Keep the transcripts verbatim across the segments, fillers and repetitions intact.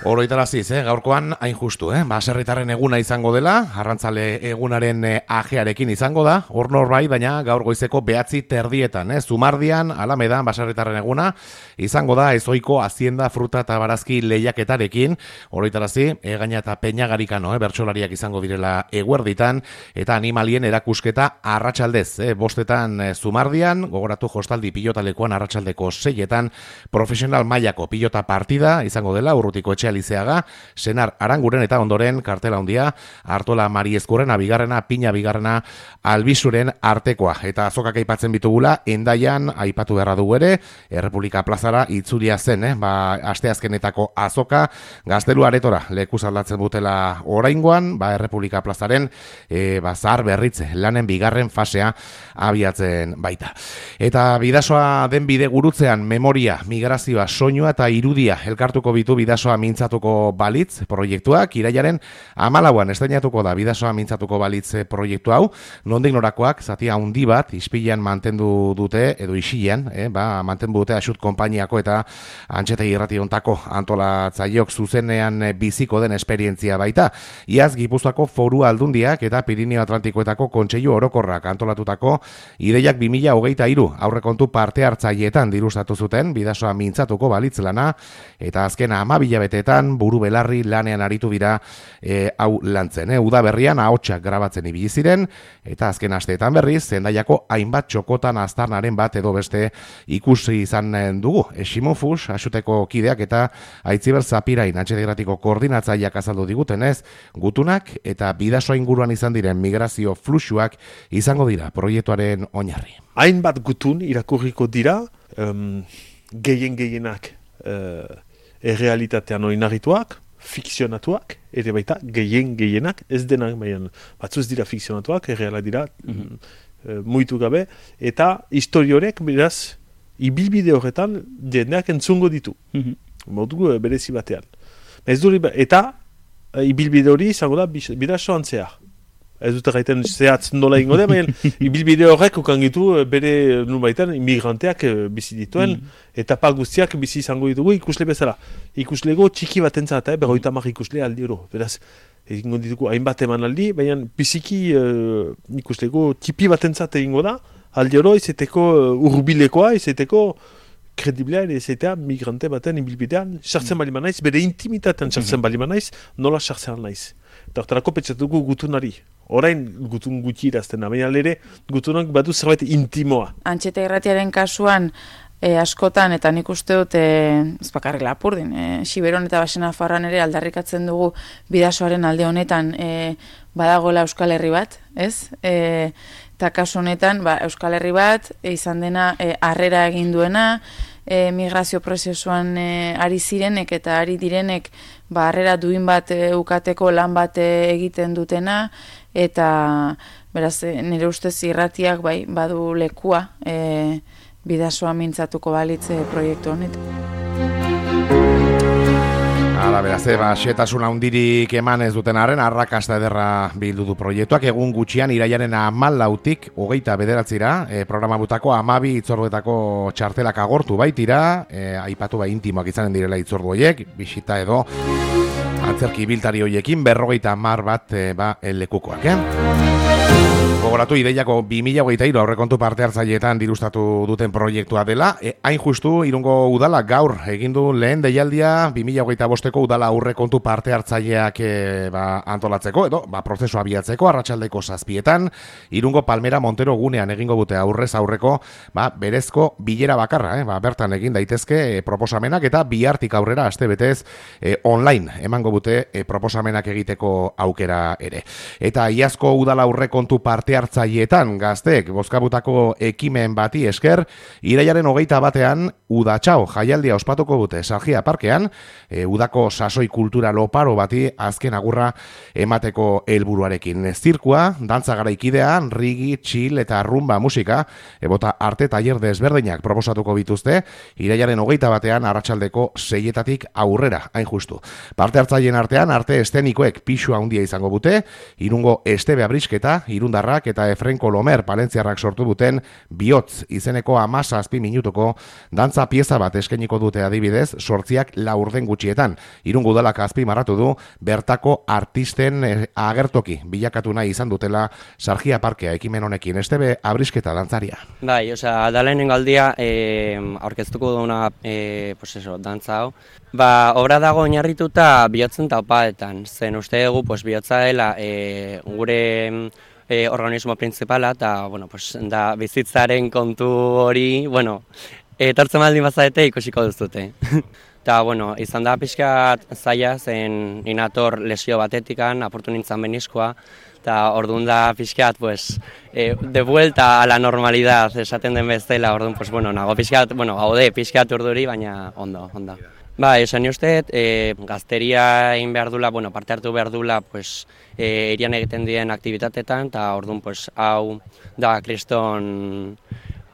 Oroitaraziz, eh? Gaurkoan hain justu, eh? Baserritarren eguna izango dela, arrantzale egunaren eh, ajearekin izango da, hor norbai, baina gaur goizeko behatzi terdietan, eh? Zumardian, Alamedan, baserritarren eguna, izango da ezoiko hazienda, fruta eta barazki lehiaketarekin, oroitarazi, egaina eta peñagarikano, eh? Bertsolariak izango direla eguerditan, eta animalien erakusketa arratsaldez, eh? Bostetan eh, Zumardian, gogoratu jostaldi pilotalekuan arratsaldeko seietan, profesional mailako pilota partida izango dela, Urrutiko etxea Lizeaga, Senar Aranguren eta ondoren kartela handia, Artola Mariezkurrena bigarrena, Pina bigarrena, Albizuren artekoa. Eta azokak aipatzen bitugula, Endaian aipatu beharra dugu ere, Errepublika plazara itzulia zen, eh? Ba, asteazkenetako azoka, Gaztelu aretora lekuz aldatzen dutela oraingoan, ba, Errepublika plazaren e, ba, zahar berritze, lanen bigarren fasea abiatzen baita. Eta bidasoa den bide gurutzean memoria, migrazioa, soinua eta irudia elkartuko bitu bidasoa mintzatuko balitz proiektuak, irailaren hamalauan estreinatuko da bidasoa mintzatuko balitz proiektu hau, nondik norakoak, zatia handi bat, ispilan mantendu dute, edo isilan, eh, ba, mantendu dute asut konpainiako eta antxetegi irrationtako antolatzaileok zuzenean biziko den esperientzia baita. Iaz Gipuzkoako Foru Aldundiak eta Pirineo Atlantikoetako Kontseilu Orokorrak antolatutako ideiak bi mila hogeita hiru aurrekontu parte hartzaileetan dirustatu zuten bidasoa mintzatuko balitz lana, eta azken ama bilabeteetan buru belarri lanean aritu dira e, hau lantzen. E, Uda berrian ahotsak grabatzen ibili ziren, eta azken asteetan berriz, Zendaiako hainbat txokotan aztarnaren bat edo beste ikusi izan dugu. Esimofus, asuteko kideak eta Aitziber Zapirain, antxetegratiko koordinatzaileak azaldu digutenez, gutunak eta bidasoa inguruan izan diren migrazio fluxuak izango dira proiektuaren oinarri. Hainbat gutun irakurriko dira, um, gehien gehienak uh, errealitatean oinarrituak, fikzionatuak, ere baita gehien gehienak, ez denak, baina batzuz dira fikzionatuak, erreala dira, mm-hmm. uh, muitu gabe, eta historiorek, beraz, ibilbide horretan jendeak entzungo ditu, mm-hmm. modu berezi batean. Ez duri, eta uh, ibilbide hori izango da bidasoan zehar. Ez dut gaiten zehatz nola ingo da, baina ibilbide horrek ukangitu bere nubaitan immigranteak bizi dituen, mm. etapa guztiak bizi izango ditugu ikusle bezala. Ikuslego txiki bat entzat, eh, berroita mar ikusle aldi oro. Beraz, egingo ditugu hainbat eman aldi, baina biziki uh, ikuslego tipi bat entzat egingo da, aldi oro izeteko uh, urbilekoa, izeteko krediblea, izetea migrante baten ibilbidean, sartzen mm. bali manaiz, bere intimitatean sartzen mm-hmm. bali manaiz, nola sartzen naiz. Eta hortarako pentsatuko gutunari. Orain gutun gutxi irazten, baina ere gutunak badu zerbait intimoa. Antxeta irratiaren kasuan e, askotan, eta nik uste dut e, ez bakarrik Lapurdin, e, Xiberon eta Basena Farran ere aldarrikatzen dugu bidasoaren alde honetan e, badagoela Euskal Herri bat, ez? E, eta kasu honetan ba, Euskal Herri bat e, izan dena e, harrera egin duena, E, migrazio prozesuan e, ari zirenek eta ari direnek ba, harrera duin bat e, ukateko lan bat e, egiten dutena, eta beraz e, nire ustez irratiak bai, badu lekua e, bidasoa mintzatuko balitze proiektu honetan. Hala, beraz, eba, xetasun handirik eman ez duten arren, arrakasta ederra bildu du proiektuak, egun gutxian irailaren hamalautik hogeita bederatzira, e, programa butako hamabi itzorduetako txartelak agortu baitira, e, aipatu bai intimoak izanen direla itzordu horiek, bisita edo antzerki biltari horiekin, berrogeita hamar bat e, ba, lekukoak, eh? Gogoratu ideiako bi mila hogeita hiru aurrekontu parte hartzaileetan dirustatu duten proiektua dela. E, hain justu, Irungo udala gaur egin du lehen deialdia bi mila hogeita bosteko udala aurrekontu parte hartzaileak e, ba, antolatzeko, edo ba, prozesu abiatzeko, arratsaldeko zazpietan, Irungo Palmera Montero gunean egingo dute aurrez aurreko ba, berezko bilera bakarra, eh? Ba, bertan egin daitezke e, proposamenak eta bihartik aurrera aste betez e, online emango dute e, proposamenak egiteko aukera ere. Eta iazko udala aurrekontu parte hartzaileetan gazteek bozkabutako ekimen bati esker, irailaren hogeita batean udatxao jaialdia ospatuko dute Sargia Parkean, e, udako sasoi kultura loparo bati azken agurra emateko helburuarekin. Zirkua, dantza garaikidea, rigi, chill eta rumba musika, ebota arte tailer desberdinak proposatuko bituzte, irailaren hogeita batean arratsaldeko seietatik aurrera, hain justu. Parte hartzaileen artean, arte estenikoek pixua handia izango dute, Irungo Estebe Abrisketa Urbieta, irundarrak eta Efren Kolomer palentziarrak sortu duten Bihotz izeneko hamazazpi minutuko dantza pieza bat eskainiko dute adibidez, sortziak laurden gutxietan. Irungo udalak azpimarratu du bertako artisten agertoki bilakatu nahi izan dutela Sargia Parkea ekimen honekin. Estebe Abrisketa dantzaria. Bai, osea, da lehenengo aldia eh, aurkeztuko duna eh, pues eso, dantza hau. Ba, obra dago oinarrituta bihotzen taupaetan. Zen uste dugu pues, bihotza dela eh, gure eh, organismo principala eta bueno, pues, da bizitzaren kontu hori, bueno, etortzen baldin bazarete ikusiko duzute. Eta, bueno, izan da pixkat zaila zen inator lesio batetikan, aportu nintzen beniskoa, eta orduan da pixkat, pues, eh, de vuelta a la normalidad, esaten den bezala, orduan, pues, bueno, nago pixkat, bueno, gaude pixkat urduri, baina ondo, ondo. Ba, esan uste, eh, gazteria egin behar dula, bueno, parte hartu behar dula, pues, eh, irian egiten diren aktibitatetan, eta orduan, pues, hau da kriston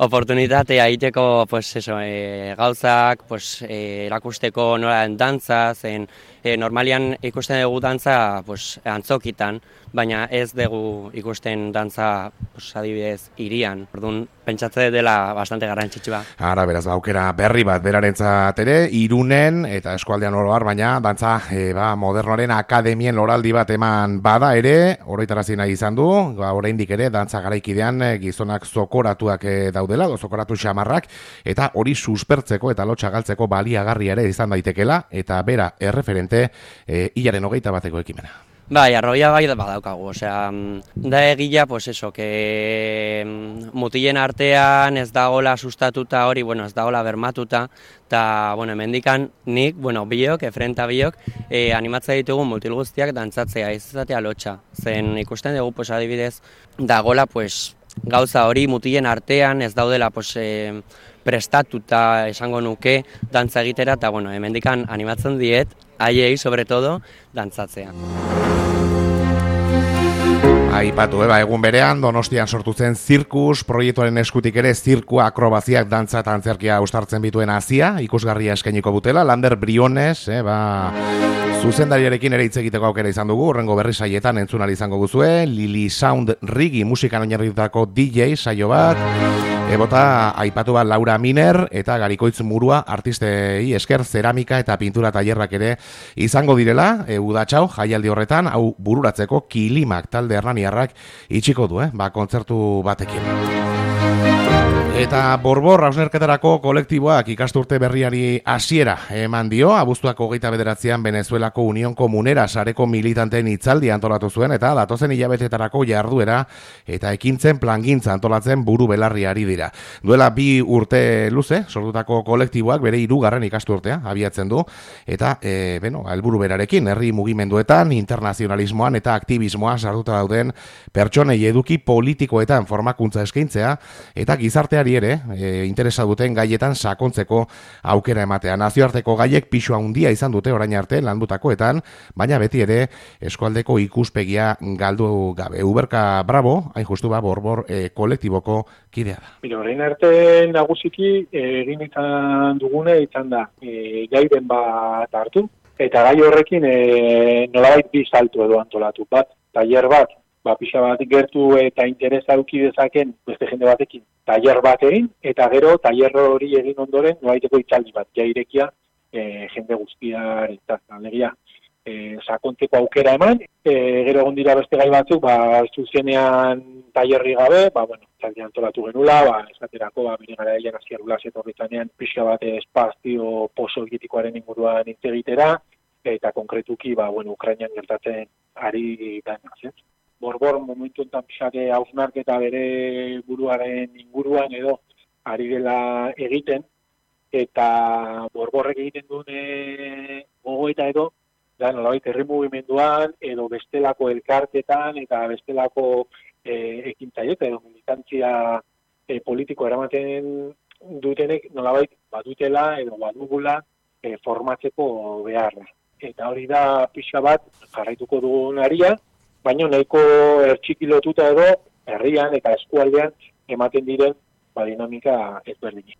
oportunitatea egiteko pues eso, e, gauzak pues, e, erakusteko nola den dantza, zen e, normalian ikusten dugu dantza pues, antzokitan, baina ez dugu ikusten dantza pues, adibidez hirian. Orduan pentsatze dela bastante garrantzitsua. Ara, beraz, aukera berri bat berarentzat ere, Irunen eta eskualdean oro har, baina dantza e, ba, modernoaren akademien loraldi bat eman bada ere, oroitarazi nahi izan du, ba, oraindik ere dantza garaikidean e, gizonak zokoratuak e, daudela, zokoratu xamarrak, eta hori suspertzeko eta lotxa galtzeko baliagarria ere izan daitekela, eta bera erreferente e, hilaren hogeita bateko ekimena. Bai, arroia bai badaukagu, osea, da egia, pues eso, que mutilen artean ez dagola sustatuta hori, bueno, ez dagola bermatuta, eta, bueno, hemendikan nik, bueno, biok, efrenta biok, eh, animatzea ditugu mutil guztiak dantzatzea, ez izatea lotxa. Zen ikusten dugu, pues, adibidez, dagola, pues, gauza hori mutilen artean ez daudela, pues, eh, prestatuta esango nuke dantza egitera, eta, bueno, hemendikan animatzen diet, haiei, sobre todo, dantzatzea. Aipatu, eba, egun berean, Donostian sortu zen zirkus, proiektuaren eskutik ere zirkua akrobaziak dantza eta antzerkia ustartzen bituen hazia, ikusgarria eskainiko butela, Lander Briones, eba, zuzendariarekin ere hitz egiteko aukera izan dugu, horrengo berri saietan entzunal izango guzue, Lili Sound Rigi musikan oinarritutako D J saio bat, ebota aipatu bat Laura Miner eta Garikoitz Murua artistei esker zeramika eta pintura tailerrak ere izango direla, e, udatxau jaialdi horretan, hau bururatzeko Kilimak talde hernaniarrak itxiko du, eh? Ba, kontzertu batekin. Eta Borbor hausnerketarako kolektiboak ikasturte berriari hasiera eman dio, abuztuak hogeita bederatzean Venezuelako Unión Komunera sareko militanteen hitzaldi antolatu zuen eta datozen hilabetetarako jarduera eta ekintzen plangintza antolatzen buru belarriari dira. Duela bi urte luze, sortutako kolektiboak bere hirugarren ikasturtea abiatzen du eta e, beno, helburu berarekin herri mugimenduetan, internazionalismoan eta aktivismoa sartuta dauden pertsonei eduki politikoetan formakuntza eskaintzea eta gizarteari ere e, interesa duten gaietan sakontzeko aukera ematea. Nazioarteko gaiek pisu handia izan dute orain arte landutakoetan, baina beti ere eskualdeko ikuspegia galdu gabe. Uberka Bravo, hain justu ba, Borbor e, kolektiboko kidea da. Mira, orain arte nagusiki egin izan dugune izan da e, gairen bat hartu, eta gai horrekin e, nolabait bi saltu edo antolatu bat, tailer bat, ba, pixa bat gertu eta interesa eduki dezaken beste jende batekin tailer bat egin, eta gero tailer hori egin ondoren noaiteko itzaldi bat, jairekia e, jende guztiaren alegia e, sakontzeko aukera eman, e, gero egon dira beste gai batzuk, ba, zuzenean tailerri gabe, ba, bueno, itzaldi antolatu genula, ba, esaterako, ba, bine gara egin azkiarula zetorritzanean pixa bat espazio posoegitikoaren inguruan hitz egitera, eta konkretuki, ba, bueno, Ukrainian gertatzen ari dana, ez? Borbor momentu enten pixake hausnarketa bere buruaren inguruan edo ari dela egiten, eta Borborrek egiten duen gogoeta edo, da nolabait herri mugimenduan edo bestelako elkartetan eta bestelako e, ekintzaile edo militantzia e, politiko eramaten dutenek nolabait badutela edo badugula e, formatzeko beharra. Eta hori da pixa bat jarraituko dugun aria, baina nahiko ertxikilotuta edo herrian eta eskualdean ematen diren ba, dinamika ezberdinak.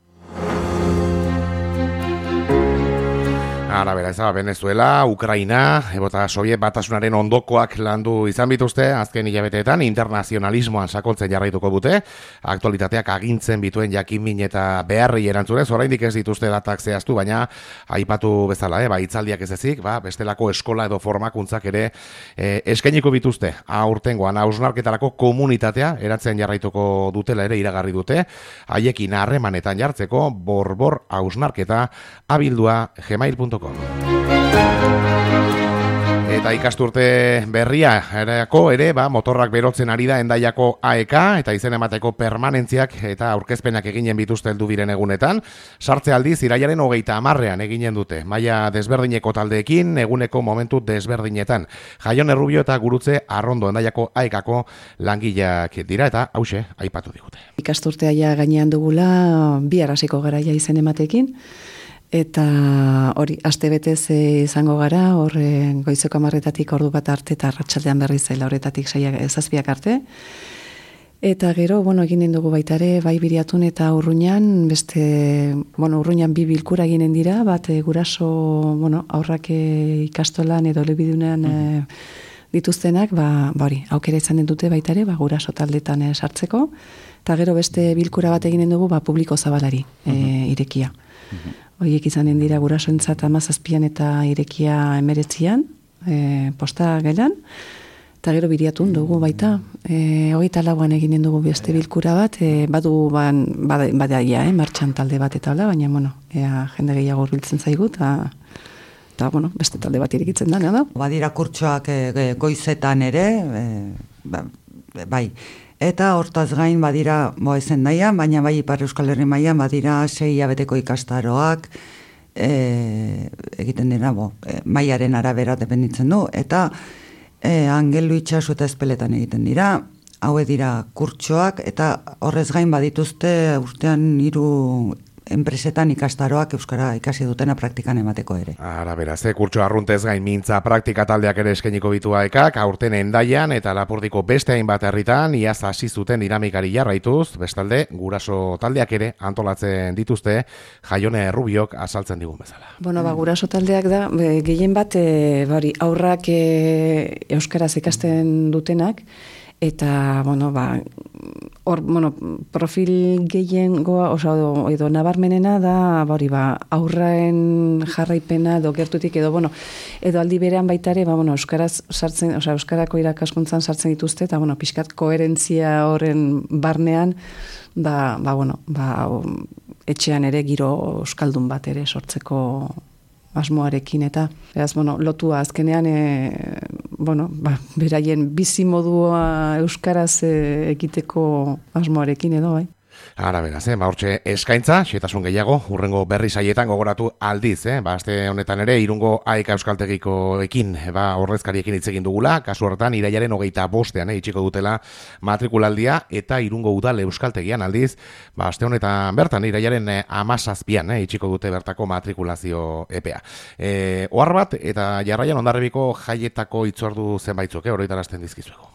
Ara, bera, ez da, Venezuela, Ukraina, ebota Soviet batasunaren ondokoak landu izan bituzte, azken hilabeteetan internazionalismoan sakontzen jarraituko dute, aktualitateak agintzen bituen jakinmin eta beharri erantzunez, oraindik ez dituzte datak zehaztu, baina aipatu bezala, eh, ba, hitzaldiak ez ezik, ba, bestelako eskola edo formakuntzak ere eh, eskainiko bituzte, aurtengoan hausnarketarako komunitatea eratzen jarraituko dutela ere iragarri dute, haiekin harremanetan jartzeko borbor hausnarketa abildua gmail punto com. Eta ikasturte berria erako ere, ba, motorrak berotzen ari da Hendaiako A E K eta izen emateko permanentziak eta aurkezpenak eginen bituzte heldu diren egunetan. Sartze aldiz irailaren hogeita hamarrean eginen dute. Maila desberdineko taldeekin, eguneko momentu desberdinetan. Jaione Rubio eta Gurutze Arrondo Hendaiako A E K-ko langileak dira eta hause aipatu digute. Ikasturtea ja gainean dugula bi arrasiko garaia izen ematekin. Eta hori, aste betez izango gara, hor goizeko hamarretatik ordu bat arte eta arratsaldean berriz lauretatik zazpiak arte. Eta gero, bueno, eginen dugu baita ere, bai Biriatun eta Urruñan, beste, bueno, Urruñan bi bilkura eginen dira, bat e, guraso, bueno, aurrak e, ikastolan edo elebidunean e, dituztenak, ba, ba hori, aukera izanen dute baita ere, ba, guraso taldetan e, sartzeko, eta gero beste bilkura bat eginen dugu, ba, publiko zabalari e, irekia. Horiek izanen dira gurasoentzat hamazazpian eta irekia emeretzian, e, posta gelan, eta gero Biriatun dugu baita, e, hogeita lauan eginen dugu beste bilkura bat, e, badu ban, badaia, eh, martxan talde bat eta hola, baina, bueno, ea jende gehiago hurbiltzen zaigu, eta, eta bueno, beste talde bat irekitzen da, da? Badira kurtsoak e, goizetan ere, e, ba, bai, eta hortaz gain badira, bo ezen daian, baina bai Ipar Euskal Herri mailan badira sei hilabeteko ikastaroak, e, egiten dira, bo, e, mailaren arabera dependitzen du, eta e, Angelu Itxasu eta Ezpeletan egiten dira, haue dira kurtsoak, eta horrez gain badituzte urtean hiru enpresetan ikastaroak euskara ikasi dutena praktikan emateko ere. Ara, beraz, ze kurtso arruntez gain mintza praktika taldeak ere eskainiko bitu A E K-ak, aurten Hendaian eta Lapurdiko beste hainbat herritan iaz hasi zuten dinamikari jarraituz, bestalde guraso taldeak ere antolatzen dituzte, Jaione Rubiok azaltzen digun bezala. Bueno, ba, guraso taldeak da, be, gehien bat, e, bari, aurrak e, euskaraz ikasten dutenak, eta, bueno, ba, hor, bueno, profil gehien goa, oso, edo, edo nabarmenena da, bari, ba, aurraen jarraipena, edo gertutik, edo, bueno, edo aldi berean baitare, ba, bueno, euskaraz sartzen, oza, euskarako irakaskuntzan sartzen dituzte, eta, bueno, pixkat koherentzia horren barnean, ba, ba, bueno, ba, etxean ere giro euskaldun bat ere sortzeko asmoarekin eta, beraz, bueno, lotua azkenean, e, bueno, ba, beraien bizi modua euskaraz e, ekiteko asmoarekin edo, bai. Ara, beraz, eh, ba, hortxe eskaintza, xetasun gehiago, urrengo berri saietan gogoratu aldiz, eh, ba, aste honetan ere, Irungo A E K Euskaltegiko ekin, ba, horrezkariekin hitz egin dugula, kasu horretan, irailaren hogeita bostean, eh, itxiko dutela matrikulaldia, eta Irungo Udal Euskaltegian aldiz, ba, aste honetan bertan, irailaren eh, amazazpian, eh, itxiko dute bertako matrikulazio epea. Eh, ohar bat, eta jarraian Hondarribiko jaietako itzordu zenbaitzuk, eh, oroitarazten dizkizuego.